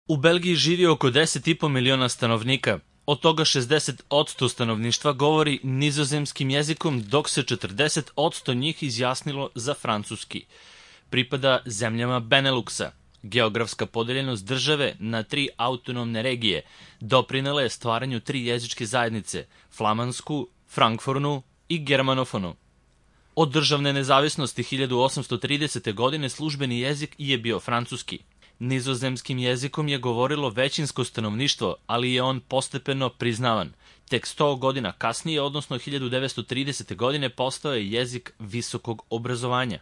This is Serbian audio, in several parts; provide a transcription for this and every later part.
U Belgiji živi oko 10,5 miliona stanovnika. Od toga 60% stanovništva govori nizozemskim jezikom, dok se 40% njih izjasnilo za francuski. Pripada zemljama Beneluxa. Geografska podeljenost države na 3 autonomne regije doprinela je stvaranju 3 jezičke zajednice, flamansku, frankfornu i germanofonu. Od državne nezavisnosti 1830. godine službeni jezik je bio francuski. Nizozemskim jezikom je govorilo većinsko stanovništvo, ali je on postepeno priznavan. Tek 100 godina kasnije, odnosno 1930. godine, postao je jezik visokog obrazovanja.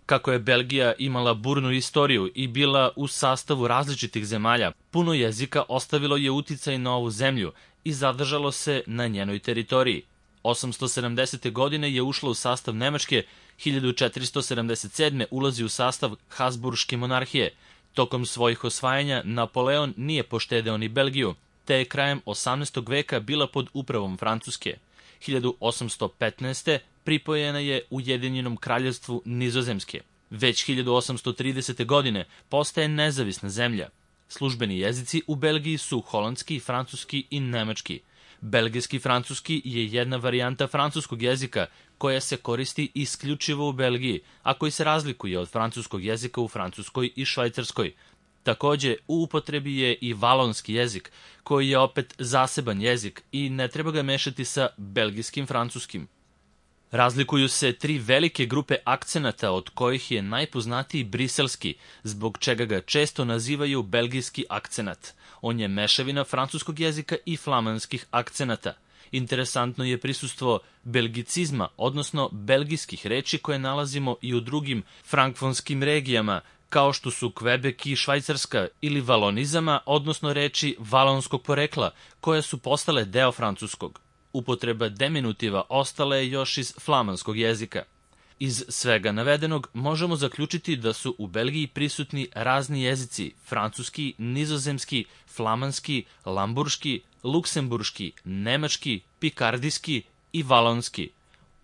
Kako je Belgija imala burnu istoriju i bila u sastavu različitih zemalja, puno jezika ostavilo je uticaj na ovu zemlju i zadržalo se na njenoj teritoriji. 870. godine je ušla u sastav Nemačke, 1477. ulazi u sastav Habsburške monarhije. Tokom svojih osvajanja Napoleon nije poštedeo ni Belgiju, te je krajem 18. veka bila pod upravom Francuske. 1815. pripojena je Ujedinjenom kraljevstvu Nizozemske. Već 1830. godine postaje nezavisna zemlja. Službeni jezici u Belgiji su holandski, francuski i nemački. Belgijski francuski je jedna varijanta francuskog jezika koja se koristi isključivo u Belgiji, a koji se razlikuje od francuskog jezika u Francuskoj i Švajcarskoj. Takođe, u upotrebi je i valonski jezik, koji je opet zaseban jezik i ne treba ga mešati sa belgijskim francuskim. Razlikuju se 3 velike grupe akcenata, od kojih je najpoznatiji briselski, zbog čega ga često nazivaju belgijski akcenat. On je mešavina francuskog jezika i flamanskih akcenata. Interesantno je prisustvo belgicizma, odnosno belgijskih reči koje nalazimo i u drugim frankfonskim regijama, kao što su Kvebek i Švajcarska, ili valonizama, odnosno reči valonskog porekla, koje su postale deo francuskog. Upotreba deminutiva ostala je još iz flamanskog jezika. Iz svega navedenog možemo zaključiti da su u Belgiji prisutni razni jezici: francuski, nizozemski, flamanski, lamburški, luksemburški, nemački, pikardijski i valonski.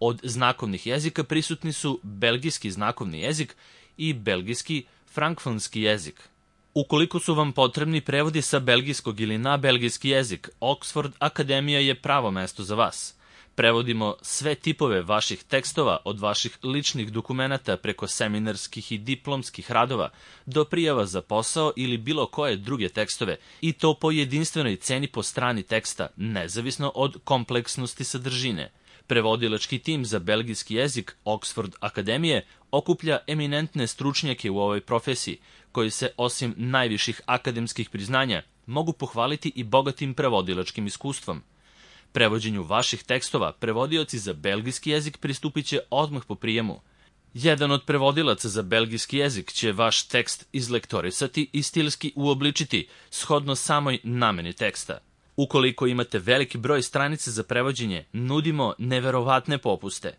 Od znakovnih jezika prisutni su belgijski znakovni jezik i belgijski frankfonski jezik. Ukoliko su vam potrebni prevodi sa belgijskog ili na belgijski jezik, Oxford Akademija je pravo mesto za vas. Prevodimo sve tipove vaših tekstova, od vaših ličnih dokumenata preko seminarskih i diplomskih radova do prijava za posao ili bilo koje druge tekstove, i to po jedinstvenoj ceni po strani teksta, nezavisno od kompleksnosti sadržine. Prevodilački tim za belgijski jezik Oxford Akademije okuplja eminentne stručnjake u ovoj profesiji, koji se osim najviših akademskih priznanja mogu pohvaliti i bogatim prevodilačkim iskustvom. Prevođenju vaših tekstova prevodioci za belgijski jezik pristupit će odmah po prijemu. Jedan od prevodilaca za belgijski jezik će vaš tekst izlektorisati i stilski uobličiti shodno samoj nameni teksta. Ukoliko imate veliki broj stranica za prevođenje, nudimo neverovatne popuste.